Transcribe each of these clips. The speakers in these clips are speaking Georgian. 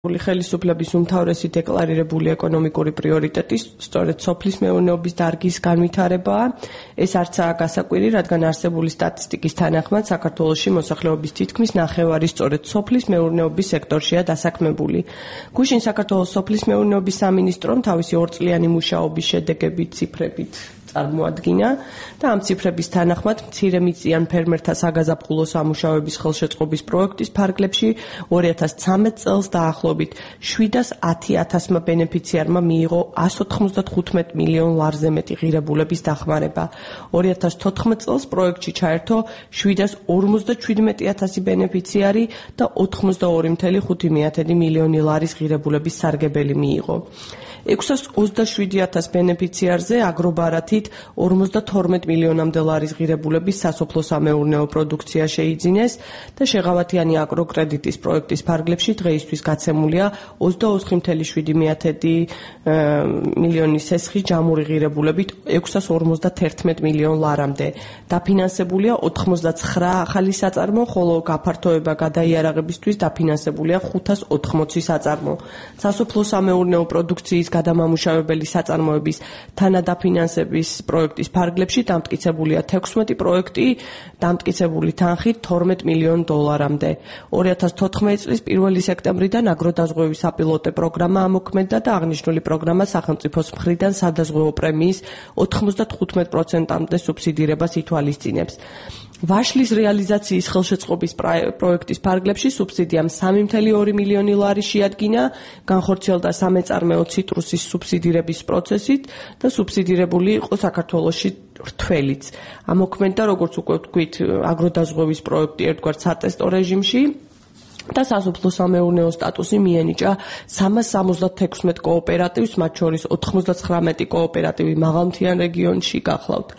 ხელისუფლების უმთავრესი დეკლარირებული ეკონომიკური პრიორიტეტი სწორედ სოფლის მეურნეობის დარგის განვითარებაა. ეს არცაა გასაკვირი, რადგან არსებული სტატისტიკის თანახმად საქართველოში მოსახლეობის თითქმის ნახევარი სწორედ სოფლის მეურნეობის სექტორშია დასაქმებული. გუშინ საქართველოს სოფლის მეურნეობის სამინისტრომ თავისი 2 წლიანი მუშაობის შედეგებით ციფრებით წარმოადგინა და ამ ციფრების თანახმად მცირემიწიან ფერმერთა საგაზაფხულო სამუშაოების ხელშეწყობის პროექტის ფარგლებში 2013 წელს დაახლოებით 710,000 ბენეფიციარმა მიიღო 195 მილიონ ლარზე მეტი ღირებულების დახმარება. 2014 წელს პროექტში ჩაერთო 757,000 ბენეფიციარი და 82,5 მილიონი ლარის ღირებულების სარგებელი მიიღო. 627,000 ბენეფიციარზე აგრობარათით 52 მილიონამდე ლარის ღირებულების სასოფლო-სამეურნეო პროდუქცია შეიძინეს და შეღავათიანი აგროკრედიტის პროექტის ფარგლებში დღეისთვის გაცემულია 24,7 მილიონი სესხი ჯამური ღირებულებით 651 მილიონ ლარამდე. დაფინანსებულია 89 ახალი საწარმო, ხოლო გაფართოება გადაიარაღებისთვის დაფინანსებულია 580 საწარმო. სასოფლო-სამეურნეო პროდუქციის გადამამუშავებელი საწარმოების თანადაფინანსების პროექტის ფარგლებში დამტკიცებულია 16 პროექტი, დამტკიცებული თანხით 12 მილიონ დოლარამდე. 2014 წლის 1 სექტემბრიდან აგროდაზღვევის საპილოტო პროგრამა ამოქმედდა და აღნიშნული პროგრამა სახელმწიფოს მხრიდან სადაზღვეო პრემიის 95%-ამდე სუბსიდირებას ითვალისწინებს. ვაშლის რეალიზაციის ხელშეწყობის პროექტის ფარგლებში სუბსიდიამ 3,2 მილიონი ლარი შეადგინა, განხორციელდა სამეწარმეო ციტრუსის სუბსიდირების პროცესით და სუბსიდირებული იყო საქართველოში რთველიც. ამოქმედდა, როგორც უკვე ვთქვით, აგროდაზღვევის პროექტი ერთგვარ სატესტო რეჟიმში და სასოფლო-სამეურნეო სტატუსი მიენიჭა 376 კოოპერატივს, მათ შორის 99 კოოპერატივი მაღალმთიან რეგიონში გახლავთ.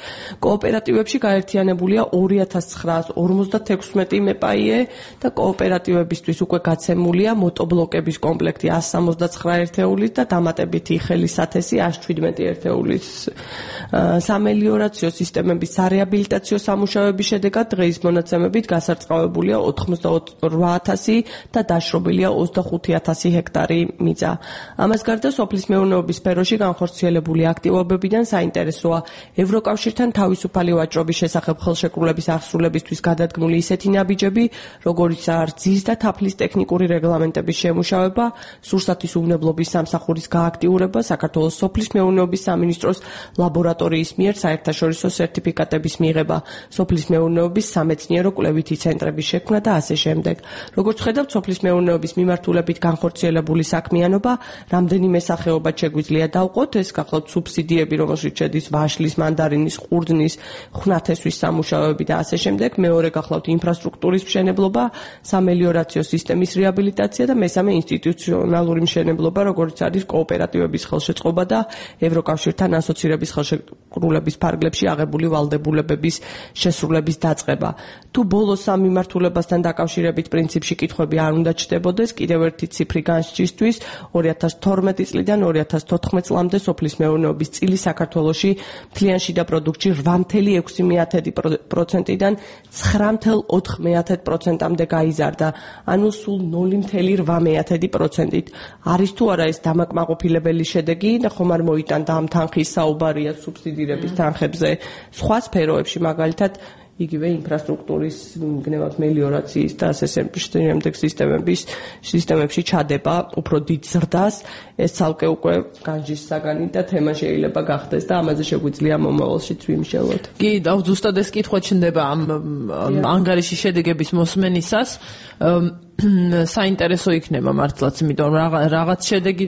კოოპერატივებში გაერთიანებულია 2956 მეპაიე და კოოპერატივებისთვის უკვე გაცემულია მოტორბლოკების კომპლექტი 169 ერთეულით და დამატებითი ხელისათესი 117 ერთეულის. სამელიორაციო სისტემების სარეაბილიტაციო სამუშაოების შედეგად დღეის მონაცემებით გასარწყავებულია 88,000 და დაშრობილია 25,000 ჰექტარი მიწა. ამას გარდა სოფლის მეურნეობის სფეროში განხორციელებული აქტივობებიდან საინტერესოა ევროკავშირთან თავისუფალი ვაჭრობის შესახებ ხელშეკრულების აღსრულებისთვის გადადგმული ისეთი ნაბიჯები, როგორიცაა რძის და თაფლის ტექნიკური რეგლამენტების შემუშავება, სურსათის უვნებლობის სამსახურის გააქტიურება, საქართველოს სოფლის მეურნეობის სამინისტროს ლაბორატორიის მიერ საერთაშორისო სერტიფიკატების მიღება, სოფლის მეურნეობის სამეცნიერო კვლევითი ცენტრების შექმნა და ასე შემდეგ. როგორც ხედავთ, სოფლის მეურნეობის მიმართულებით განხორციელებული საქმიანობა რამდენიმე სახეობად შეგვიძლია დავყოთ. ეს გახლავთ სუბსიდიები, რომელშიც შედის ვაშლის, მანდარინის, ყურძნის, ხვნათესვის სამუშაოები და ასე შემდეგ. მეორე გახლავთ ინფრასტრუქტურის მშენებლობა, სამელიორაციო სისტემის რეაბილიტაცია და მესამე ინსტიტუციონალური მშენებლობა, როგორც არის კოოპერატივების ხელშეწყობა და ევროკავშირთან ასოცირების ხელშეკრულების ფარგლებში აღებული ვალდებულებების შესრულების დაწყება. თუ ბოლოს სამ მიმართულებასთან დაკავშირებით პრინციპში კითხვები არ უნდა ჩდებოდეს, კიდევ ერთი ციფრი განსჯისთვის 2012 წლიდან 2014 წლამდე სოფლის მეურნეობის წილი საქართველოში მთლიან შიდა პროდუქტში 8,6%-დან 9,4%-ამდე გაიზარდა, ანუ სულ 0,8%-ით. არის თუ არა ეს დამაკმაყოფილებელი შედეგი და ხომ არ მოიტანდა ამ თანხის საუბარია სუბსიდირების თანხებზე სხვა სფეროებში, მაგალითად იგივე ინფრასტრუქტურის გნევად მელიორაციის და ასე შემდეგ სისტემებში ჩადება უფრო დიდ ზრდას. ეს ცალკე უკვე განჯის საგანი და თემა შეიძლება გახდეს და ამაზე შეგვიძლია მომავალშიც ვიმსჯელოთ. კი, ზუსტად ეს კითხვა ჩნდება ამ ანგარიშის შედეგების მოსმენისას. საინტერესო იქნება მართლაც, იმიტომ რაღაც შედეგი,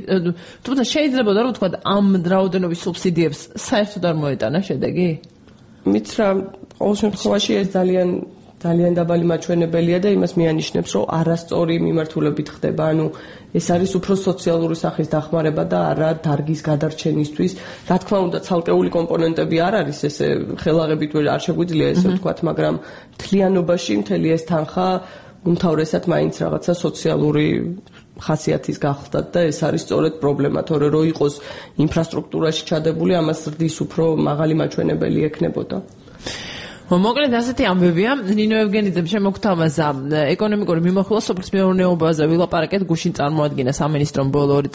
თუმცა შეიძლება რომ თქვა ამ რაოდენობის სუბსიდიებს საერთოდ არ მოეტანა შედეგი? მით რა ყოველ შემთხვევაში ეს ძალიან დაბალი მაჩვენებელია და იმას მიანიშნებს, რომ არასწორი მიმართულებით ხდება. ანუ ეს არის უფრო სოციალური სახის დახმარება და არა დარგის გადარჩენისთვის. რა თქმა უნდა, ცალკეული კომპონენტები არ არის ესე ხელაღებით არ შეგვიძლია ესე ვთქვათ, მაგრამ მთლიანობაში მთელი ეს თანხა უმთავრესად მაინც რაღაცა სოციალური ხასიათის გახლდათ და ეს არის სწორედ პრობლემა, თორე რო იყოს ინფრასტრუქტურაში ჩადებული, ამას ზრდის უფრო მაღალი მაჩვენებელი ექნებოდა. მოკლედ ასეთი ამბებია. ნინო ევგენიძემ შემოგთავაზა ეკონომიკური მიმოხილვა სოფლის მეურნეობაზე ვილაპარაკეთ, გუშინ წარმოადგინა სამინისტრომ ბოლო 2 წლის